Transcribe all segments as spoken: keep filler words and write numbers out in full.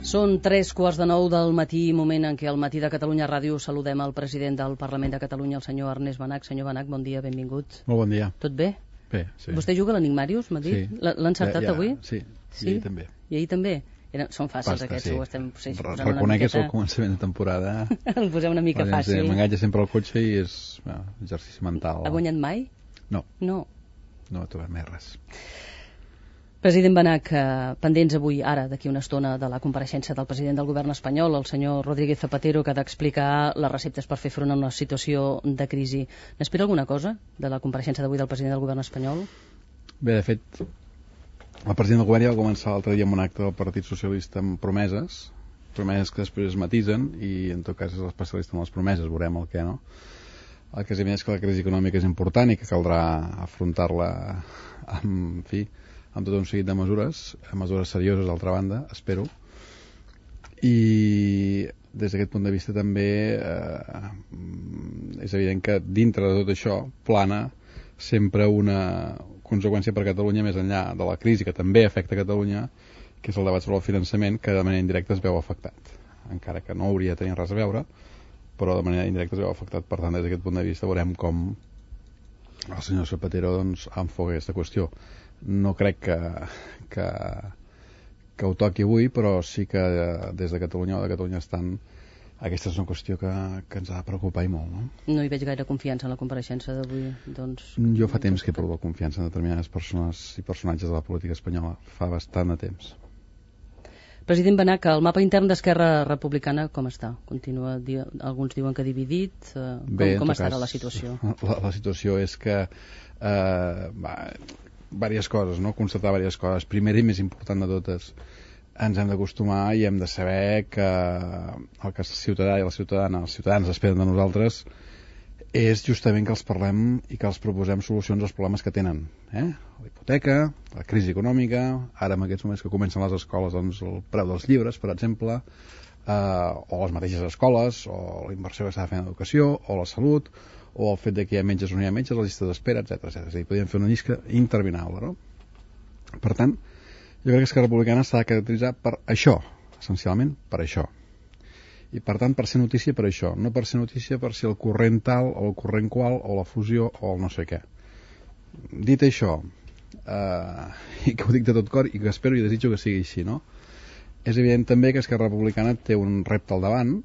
Són tres quarts de nou del matí, moment en què al Matí de Catalunya Ràdio saludem el president del Parlament de Catalunya, el senyor Ernest Benach. Senyor Benach, bon dia, benvingut. Molt bon dia. Tot bé? Bé, sí. Vostè juga a l'Enigmàrius, m'ha dit? Sí. L'ha encertat ja, ja, avui? Sí, sí, i ahir també. I ahir també? Eren, són fàcils Basta, aquests, sí. ho estem sí, Reconec que és el començament de temporada. El posem una mica fàcil. M'engatja sempre al cotxe i és bueno, exercici mental. Ha guanyat mai? No. No. No ha trobat mai res. President Benach, eh, pendents avui, ara, d'aquí una estona, de la compareixença del president del govern espanyol, el senyor Rodríguez Zapatero, que ha d'explicar les receptes per fer front a una situació de crisi. N'espera alguna cosa de la compareixença d'avui del president del govern espanyol? Bé, de fet, el president del govern ja va començar l'altre dia amb un acte del Partit Socialista amb promeses, promeses que després es matisen, i en tot cas és l'especialista en les promeses, veurem el què, no? El que és evident és que la crisi econòmica és important i que caldrà afrontar-la amb, en fi, amb tot un seguit de mesures, mesures serioses d'altra banda, espero, i des d'aquest punt de vista també eh, és evident que dintre de tot això plana sempre una conseqüència per a Catalunya més enllà de la crisi que també afecta Catalunya, que és el debat sobre el finançament, que de manera indirecta es veu afectat, encara que no hauria de tenir res a veure, però de manera indirecta es veu afectat. Per tant, des d'aquest punt de vista veurem com el senyor Zapatero doncs, enfoca aquesta qüestió. No crec que, que, que ho toqui avui, però sí que des de Catalunya o de Catalunya estan, aquesta és una qüestió que, que ens ha de preocupar i molt. No? No hi veig gaire confiança en la compareixença d'avui. Doncs, jo fa temps que he perdut confiança en determinades persones i personatges de la política espanyola. Fa bastant de temps. President Benach, el mapa intern d'Esquerra Republicana com està? Continua, di alguns diuen que dividit. Eh, Bé, com com està cas, ara la situació? La, la situació és que eh, va, diverses coses, no? Constatar diverses coses. Primera i més important de totes, ens hem d'acostumar i hem de saber que el que el ciutadà i la ciutadana, els ciutadans esperen de nosaltres és justament que els parlem i que els proposem solucions als problemes que tenen. Eh? La hipoteca, la crisi econòmica, ara en aquests moments que comencen les escoles, doncs el preu dels llibres, per exemple, eh, o les mateixes escoles, o la inversió que s'ha de fer en educació, o la salut, o el fet de que hi ha metges o no hi ha metges, la llista d'espera, etcètera, etcètera. És a dir, podríem fer una llista interminable, no? Per tant, jo crec que Esquerra Republicana s'ha de caracteritzar per això, essencialment per això. I per tant, per ser notícia per això, no per ser notícia per ser el corrent tal, o el corrent qual, o la fusió, o el no sé què. Dit això, eh, i que ho dic de tot cor, i que espero i desitjo que sigui així, no? És evident també que Esquerra Republicana té un repte al davant,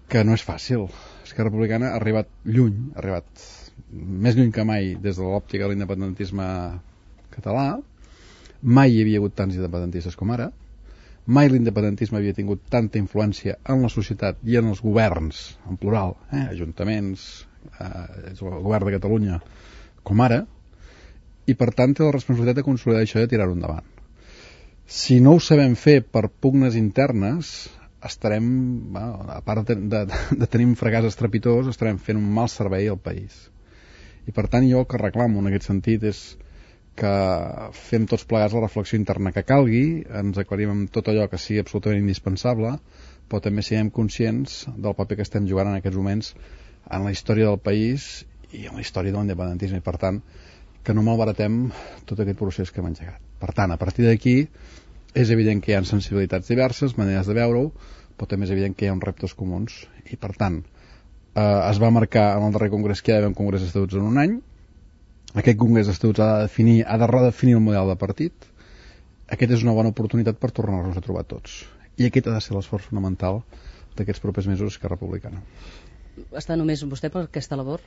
que no és fàcil. Esquerra Republicana ha arribat lluny, ha arribat més lluny que mai des de l'òptica de l'independentisme català. Mai hi havia hagut tants independentistes com ara. Mai l'independentisme havia tingut tanta influència en la societat i en els governs, en plural, eh? ajuntaments, eh, el govern de Catalunya, com ara, i per tant té la responsabilitat de consolidar això i de tirar-ho endavant. Si no ho sabem fer per pugnes internes, estarem, bueno, a part de, de, de tenir un fracàs estrepitós, estarem fent un mal servei al país. I per tant jo el que reclamo en aquest sentit és que fem tots plegats la reflexió interna que calgui, ens aclarim amb tot allò que sigui absolutament indispensable, però també siguem conscients del paper que estem jugant en aquests moments en la història del país i en la història de l'independentisme, i per tant que no malbaratem tot aquest procés que hem engegat. Per tant, a partir d'aquí és evident que hi ha sensibilitats diverses, maneres de veure-ho, però també és evident que hi ha uns reptes comuns, i per tant eh, es va marcar en el darrer congrés que hi ha d'haver un congrés d'estatuts en un any. Aquest congrés d'estatuts ha de definir, ha de redefinir el model de partit. Aquest és una bona oportunitat per tornar-nos a trobar tots. I aquest ha de ser l'esforç fonamental d'aquests propers mesos d'Esquerra Republicana. Està només vostè per aquesta labor?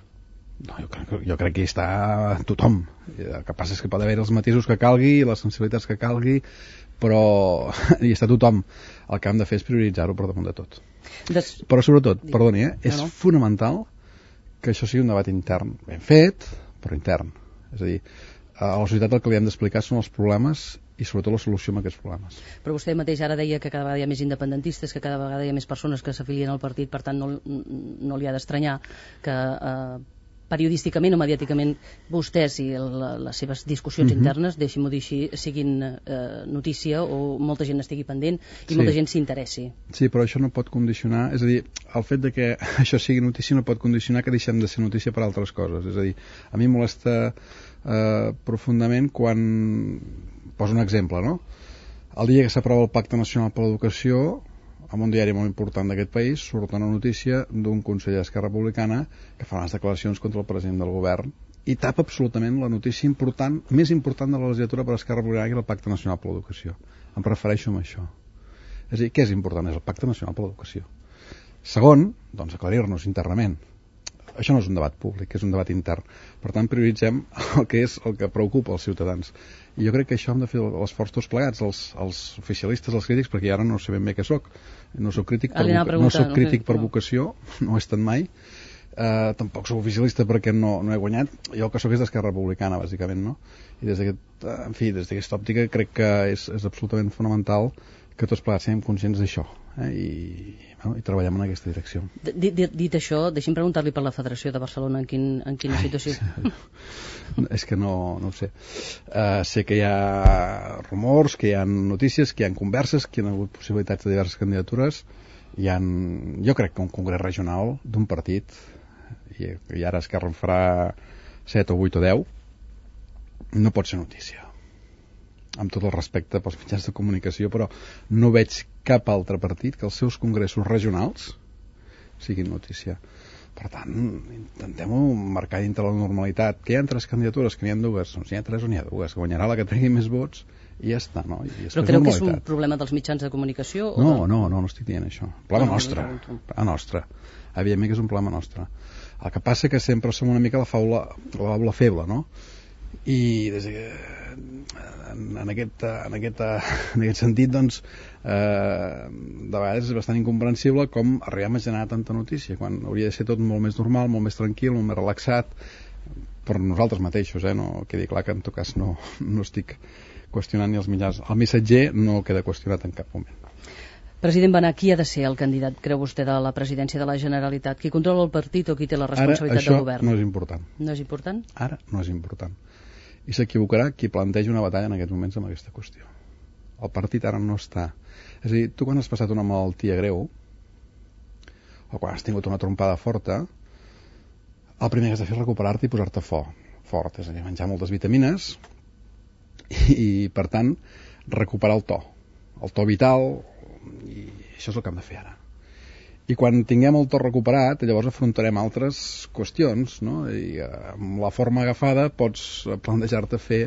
No, jo crec, jo crec que hi està tothom. El que passa és que pot haver els matisos que calgui, les sensibilitats que calgui, però hi està tothom. El que hem de fer és prioritzar-ho per damunt de tot. Des... Però sobretot, perdoni, eh, és no, no. fonamental que això sigui un debat intern ben fet, però intern. És a dir, a la societat el que li hem d'explicar són els problemes i sobretot la solució a aquests problemes. Però vostè mateix ara deia que cada vegada hi ha més independentistes, que cada vegada hi ha més persones que s'afilien al partit, per tant no, no li ha d'estranyar que eh, periodísticament o mediàticament vostès i la, les seves discussions uh-huh. internes, deixi-m'ho dir així, siguin eh, notícia o molta gent estigui pendent i sí. molta gent s'interessi. Sí, però això no pot condicionar, és a dir, el fet de que això sigui notícia no pot condicionar que deixem de ser notícia per altres coses. És a dir, a mi molesta eh, profundament quan... Poso un exemple, no? El dia que s'aprova el Pacte Nacional per l'Educació, en un diari molt important d'aquest país, surt una notícia d'un conseller d'Esquerra Republicana que fa unes declaracions contra el president del govern i tapa absolutament la notícia important, més important de la legislatura per Esquerra Republicana, que és el Pacte Nacional per l'Educació. Em refereixo a això. És a dir, què és important? És el Pacte Nacional per l'Educació. Segon, doncs aclarir-nos internament. Això no és un debat públic, és un debat intern. Per tant, prioritzem el que és el que preocupa els ciutadans. I jo crec que això hem de fer l'esforç tots plegats, els, els oficialistes, els crítics, perquè ara no sé ben bé què soc. No soc crític per, voca no soc crític per vocació, no ho he estat mai. Uh, tampoc soc oficialista perquè no, no he guanyat. Jo el que soc és d'Esquerra Republicana, bàsicament, no? I des d'aquest, en fi, des d'aquesta òptica crec que és, és absolutament fonamental que tots plegats siguem conscients d'això, eh? I, bueno, i treballem en aquesta direcció. Dit, dit, dit això, deixi'm preguntar-li per la Federació de Barcelona en, quin, en quina Ai, situació. Sí. És que no, no ho sé. Uh, sé que hi ha rumors, que hi ha notícies, que hi ha converses, que hi ha hagut possibilitats de diverses candidatures. Hi ha, jo crec que un congrés regional d'un partit, i, i ara Esquerra en farà set o vuit o deu, no pot ser notícia. Amb tot el respecte pels mitjans de comunicació, però no veig cap altre partit que els seus congressos regionals siguin notícia. Per tant, intentem-ho marcar dintre la normalitat. Que hi ha tres candidatures, que n'hi ha dues, doncs n'hi ha tres o n'hi ha dues, que guanyarà la que tregui més vots i ja està, no? I però creu que és un problema dels mitjans de comunicació? No, o de... no, no, no estic dient això. Problema no, nostre. No, problema nostre. Evidentment que és un problema nostre. El que passa que sempre som una mica la faula, la faula feble, no? I des de, en, en, aquest, en, aquest, en aquest sentit, doncs, eh, de vegades és bastant incomprensible com arribem a generar tanta notícia, quan hauria de ser tot molt més normal, molt més tranquil, molt més relaxat, per nosaltres mateixos, eh? No quedi clar que en tot cas no, no estic qüestionant ni els mitjans. El missatger no queda qüestionat en cap moment. President Benach, qui ha de ser el candidat, creu vostè, de la presidència de la Generalitat? Qui controla el partit o qui té la responsabilitat del govern? Ara això no és important. No és important? Ara no és important. I s'equivocarà qui planteja una batalla en aquests moments amb aquesta qüestió. El partit ara no està... És a dir, tu quan has passat una malaltia greu o quan has tingut una trompada forta, el primer que has de fer és recuperar-te i posar-te fort, fort, és a dir, menjar moltes vitamines i, i per tant, recuperar el to, el to vital, i això és el que hem de fer ara. I quan tinguem el to recuperat, llavors afrontarem altres qüestions, no? I amb la forma agafada pots plantejar-te fer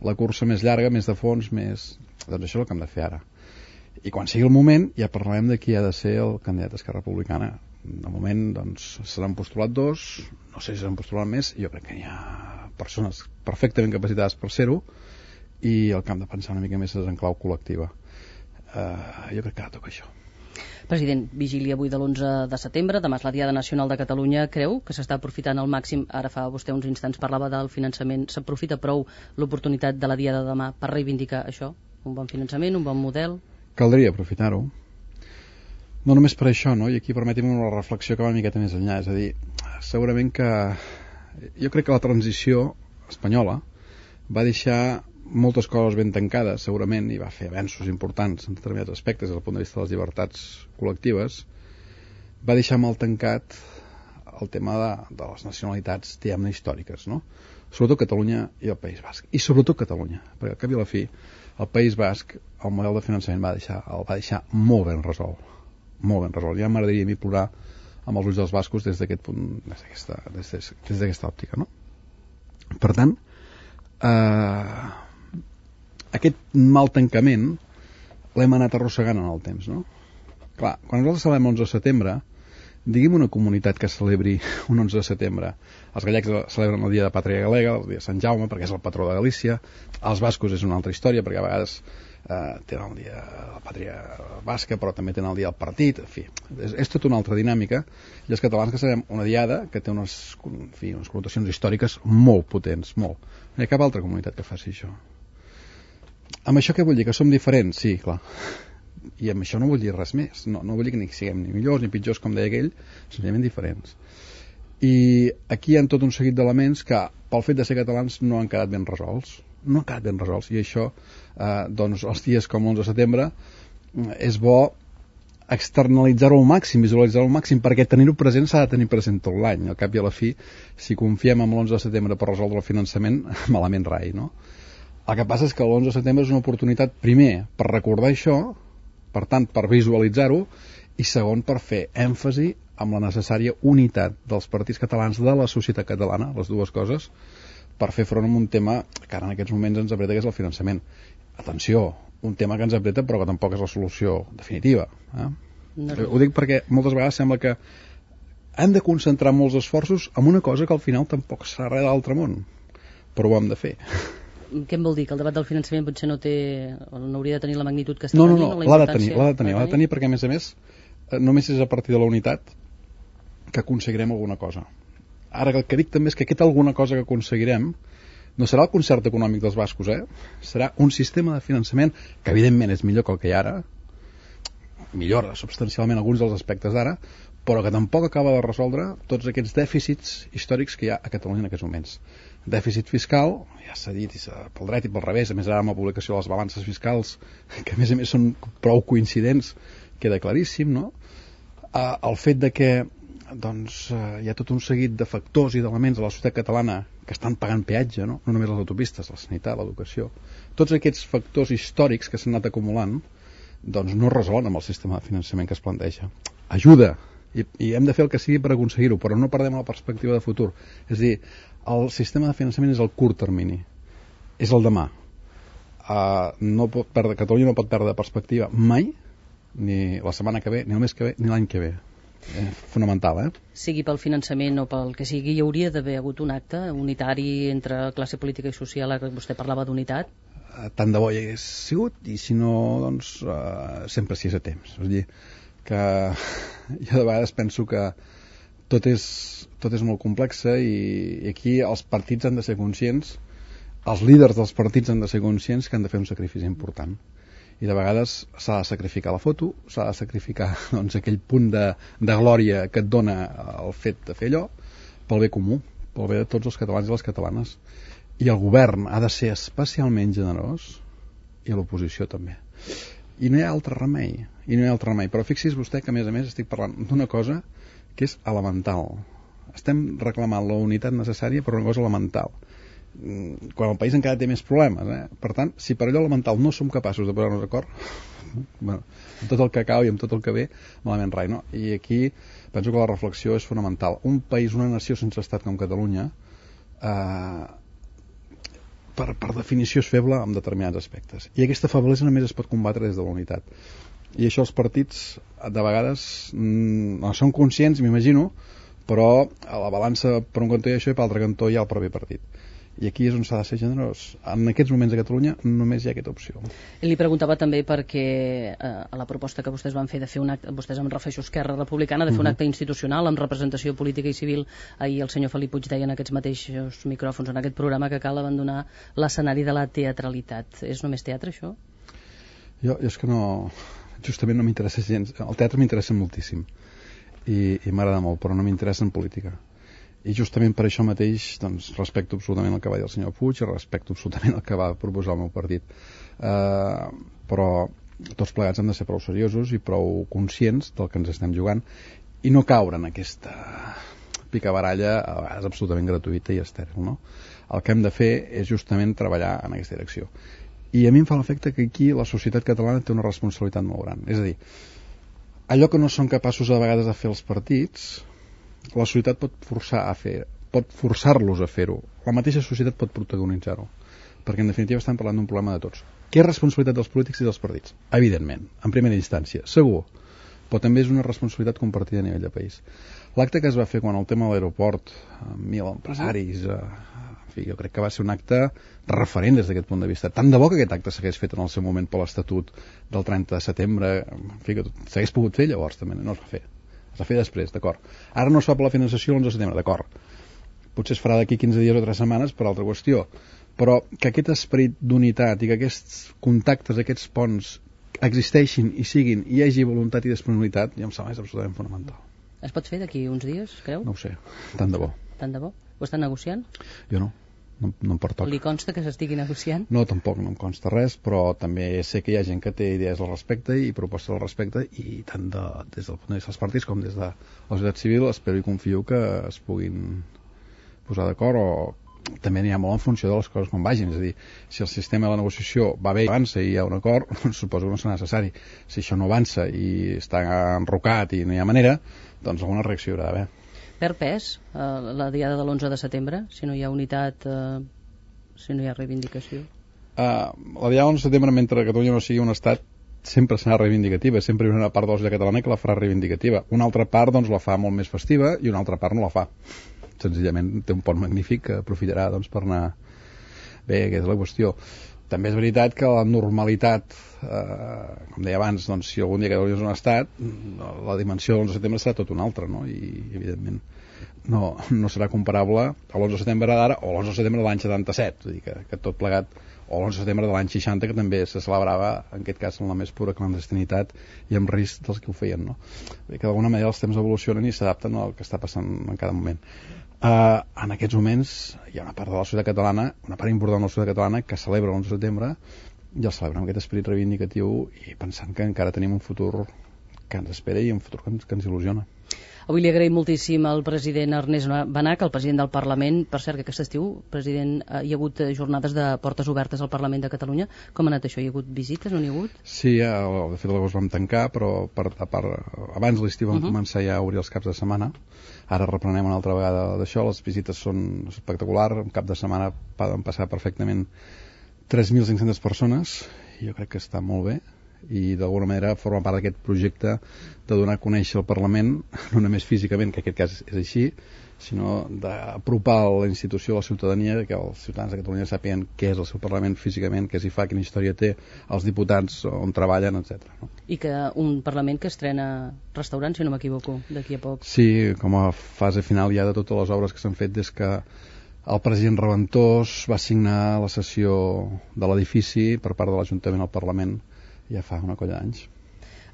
la cursa més llarga, més de fons, més... Doncs això és el que hem de fer ara. I quan sigui el moment, ja parlarem de qui ha de ser el candidat d'Esquerra Republicana. De moment, doncs, se n'han postulat dos, no sé si s'han postulat més, jo crec que hi ha persones perfectament capacitades per ser-ho, i el que hem de pensar una mica més és en clau col·lectiva. Uh, jo crec que ara toca això. President, vigília avui de l'onze de setembre, demà és la Diada Nacional de Catalunya. Creu que s'està aprofitant al màxim, ara fa vostè uns instants parlava del finançament, s'aprofita prou l'oportunitat de la Diada de demà per reivindicar això? Un bon finançament, un bon model? Caldria aprofitar-ho. No només per això, no? I aquí permetim una reflexió que va una miqueta més enllà. És a dir, segurament que... Jo crec que la transició espanyola va deixar moltes coses ben tancades, segurament, i va fer avenços importants en determinats aspectes des del punt de vista de les llibertats col·lectives. Va deixar mal tancat el tema de, de les nacionalitats, diguem-ne, històriques, no? Sobretot Catalunya i el País Basc. I sobretot Catalunya, perquè al cap i a la fi, el País Basc, el model de finançament va deixar, el va deixar molt ben resolt. Molt ben resolt. Ja m'agradaria a mi plorar amb els ulls dels bascos des d'aquest punt, des d'aquesta, des, des, des d'aquesta òptica, no? Per tant, eh... aquest mal tancament l'hem anat arrossegant en el temps, no? Clar, quan nosaltres celebrem l'onze de setembre, diguem una comunitat que celebri un onze de setembre. Els gallecs celebren el dia de Pàtria Galega, el dia de Sant Jaume, perquè és el patró de Galícia. Els bascos és una altra història, perquè a vegades eh, tenen el dia de la Pàtria Basca, però també tenen el dia del partit. En fi, és, és tota una altra dinàmica. I els catalans que celebrem una diada que té unes, en fi, unes connotacions històriques molt potents, molt. No hi ha cap altra comunitat que faci això. Amb això què vull dir? Que som diferents? Sí, clar. I amb això no vull dir res més. No, no vull dir que ni siguem ni millors ni pitjors, com deia aquell, senzillament diferents. I aquí hi ha tot un seguit d'elements que, pel fet de ser catalans, no han quedat ben resolts. No han quedat ben resolts. I això, eh, doncs, els dies com l'onze de setembre, és bo externalitzar-ho al màxim, visualitzar-ho al màxim, perquè tenir-ho present s'ha de tenir present tot l'any. Al cap i a la fi, si confiem en l'onze de setembre per resoldre el finançament, malament rai, no? El que passa és que l'onze de setembre és una oportunitat, primer, per recordar això, per tant, per visualitzar-ho, i segon, per fer èmfasi amb la necessària unitat dels partits catalans de la societat catalana, les dues coses, per fer front a un tema que ara en aquests moments ens apreta, que és el finançament. Atenció, un tema que ens apreta però que tampoc és la solució definitiva. Eh? No. Ho dic perquè moltes vegades sembla que hem de concentrar molts esforços en una cosa que al final tampoc serà res d'altre món, però ho hem de fer. Què em vol dir? Que el debat del finançament potser no té, no hauria de tenir la magnitud que està no, no, tenint? No, no, l'ha de tenir, l'ha de tenir, l'ha de tenir perquè a més a més només és a partir de la unitat que aconseguirem alguna cosa. Ara el que dic també és que aquesta alguna cosa que aconseguirem no serà el concert econòmic dels bascos, eh? Serà un sistema de finançament que evidentment és millor que el que hi ha ara, millora substancialment alguns dels aspectes d'ara, però que tampoc acaba de resoldre tots aquests dèficits històrics que hi ha a Catalunya en aquests moments. Dèficit fiscal, ja s'ha dit pel dret i pel revés, a més ara amb la publicació de les balances fiscals, que a més a més són prou coincidents, queda claríssim, no? Uh, el fet de que doncs, uh, hi ha tot un seguit de factors i d'elements a la societat catalana que estan pagant peatge, no? No només les autopistes, la sanitat, l'educació. Tots aquests factors històrics que s'han anat acumulant doncs no resolen amb el sistema de finançament que es planteja. Ajuda, i, i hem de fer el que sigui per aconseguir-ho, però no perdem la perspectiva de futur. És a dir, el sistema de finançament és el curt termini, és el demà. Uh, no pot perdre, Catalunya no pot perdre perspectiva mai, ni la setmana que ve, ni el mes que ve, ni l'any que ve. Eh, fonamental, eh? Sigui pel finançament o pel que sigui, hi hauria d'haver hagut un acte unitari entre classe política i social, ara que vostè parlava d'unitat? Uh, tant de bo hi hagués sigut, i si no, doncs uh, sempre si és a temps. És a dir, que jo de vegades penso que tot és, tot és molt complex i, i aquí els partits han de ser conscients, els líders dels partits han de ser conscients que han de fer un sacrifici important. I de vegades s'ha de sacrificar la foto, s'ha de sacrificar doncs, aquell punt de, de glòria que et dona el fet de fer allò pel bé comú, pel bé de tots els catalans i les catalanes. I el govern ha de ser especialment generós i l'oposició també. I no hi ha altre remei, i no hi ha altre remei. Però fixi's vostè que a més a més estic parlant d'una cosa que és elemental. Estem reclamant la unitat necessària per una cosa elemental, quan el país encara té més problemes, eh? Per tant, si per allò elemental no som capaços de posar-nos d'acord, bueno, amb tot el que cau i amb tot el que ve, malament rai, no? I aquí penso que la reflexió és fonamental. Un país, una nació sense estat com Catalunya, eh, per, per definició és feble en determinats aspectes. I aquesta feblesa només es pot combatre des de la unitat. I això els partits, de vegades, mm, no són conscients, m'imagino, però a la balança per un cantó hi ha això i per l'altre cantó hi ha el propi partit. I aquí és on s'ha de ser generós. En aquests moments a Catalunya només hi ha aquesta opció. Li preguntava també perquè eh, a la proposta que vostès van fer de fer un acte, vostès em refereixo a Esquerra Republicana, de fer uh-huh. un acte institucional amb representació política i civil, ahir el senyor Felip Puig deia en aquests mateixos micròfons, en aquest programa, que cal abandonar l'escenari de la teatralitat. És només teatre, això? Jo, jo és que no... Justament no m'interessa gens. El teatre m'interessa moltíssim i, i m'agrada molt, però no m'interessa en política. I justament per això mateix doncs, respecto absolutament el que va dir el senyor Puig i respecto absolutament el que va proposar el meu partit. Uh, però tots plegats hem de ser prou seriosos i prou conscients del que ens estem jugant i no caure en aquesta picabaralla a vegades absolutament gratuïta i estèril, no? El que hem de fer és justament treballar en aquesta direcció. I a mi em fa l'efecte que aquí la societat catalana té una responsabilitat molt gran. És a dir, allò que no són capaços a vegades de fer els partits, la societat pot forçar a fer, pot forçar-los a fer-ho. La mateixa societat pot protagonitzar-ho, perquè en definitiva estem parlant d'un problema de tots. Què és responsabilitat dels polítics i dels partits? Evidentment, en primera instància, segur, però també és una responsabilitat compartida a nivell de país. L'acte que es va fer quan el tema de l'aeroport, amb mil empresaris, eh, en fi, jo crec que va ser un acte referent des d'aquest punt de vista. Tant de bo que aquest acte s'hagués fet en el seu moment per l'Estatut del trenta de setembre, en fi, que s'hagués pogut fer llavors també, no es va fer. Es va fer després, d'acord. Ara no es fa per la finançació l'onze de setembre, d'acord. Potser es farà d'aquí quinze dies o tres setmanes per altra qüestió. Però que aquest esperit d'unitat i que aquests contactes, aquests ponts existeixin i siguin, i hi hagi voluntat i disponibilitat, ja em sembla és absolutament fonamental. Es pot fer d'aquí uns dies, creu? No ho sé, tant de bo. Tant de bo? Ho estan negociant? Jo no. No, no em pertoca. Li consta que s'estigui negociant? No, tampoc no em consta res, però també sé que hi ha gent que té idees al respecte i propostes al respecte, i tant de, des del punt de vista dels partits com des de la societat civil espero i confio que es puguin posar d'acord o també n'hi ha molt en funció de les coses com vagin, és a dir, si el sistema de la negociació va bé i avança i hi ha un acord, suposo que no serà necessari. Si això no avança i està enrocat i no hi ha manera, doncs alguna reacció hi haurà d'haver. Perd pes eh, la diada de l'onze de setembre, si no hi ha unitat, eh, si no hi ha reivindicació? Uh, la diada de l'onze de setembre, mentre Catalunya no sigui un estat, sempre serà reivindicativa, sempre hi haurà una part de la societat catalana que la farà reivindicativa. Una altra part doncs la fa molt més festiva i una altra part no la fa. Senzillament té un pont magnífic que aprofitarà doncs, per anar bé, aquesta és la qüestió. També és veritat que la normalitat, eh, com deia abans, doncs, si algun dia Catalunya és un estat, la dimensió de l'onze de setembre serà tot una altra, no? I evidentment no, no serà comparable a l'onze de setembre d'ara o l'onze de setembre de l'any setanta-set, és a dir, que, que tot plegat, o l'onze de setembre de l'any seixanta, que també se celebrava, en aquest cas, en la més pura clandestinitat i amb risc dels que ho feien, no? Que d'alguna manera els temps evolucionen i s'adapten al que està passant en cada moment. Uh, en aquests moments hi ha una part de la societat catalana, una part important de la societat catalana que celebra l'onze de setembre i el celebra amb aquest esperit reivindicatiu i pensant que encara tenim un futur que ens espera i un futur que ens, que ens il·lusiona. Avui li agraïm moltíssim al president Ernest Benach, el president del Parlament. Per cert, que aquest estiu, president, hi ha hagut jornades de portes obertes al Parlament de Catalunya. Com ha anat això? Hi ha hagut visites? No n'hi ha hagut? Sí, de fet l'agost vam tancar, però per, per, abans l'estiu vam uh -huh. començar ja a obrir els caps de setmana. Ara reprenem una altra vegada d'això. Les visites són espectaculars. Un cap de setmana poden passar perfectament tres mil cinc-centes persones. Jo crec que està molt bé i d'alguna manera forma part d'aquest projecte de donar a conèixer el Parlament, no només físicament, que en aquest cas és així, sinó d'apropar la institució a la ciutadania, que els ciutadans de Catalunya sàpiguen què és el seu Parlament físicament, què s'hi fa, quina història té, els diputats on treballen, etcètera. No? I que un Parlament que estrena restaurant, si no m'equivoco, d'aquí a poc. Sí, com a fase final ja de totes les obres que s'han fet des que el president Reventós va signar la cessió de l'edifici per part de l'Ajuntament al Parlament ja fa una colla d'anys.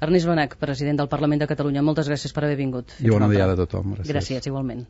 Ernest Benach, president del Parlament de Catalunya, moltes gràcies per haver vingut. I bona diada a tothom. Gràcies, gràcies igualment.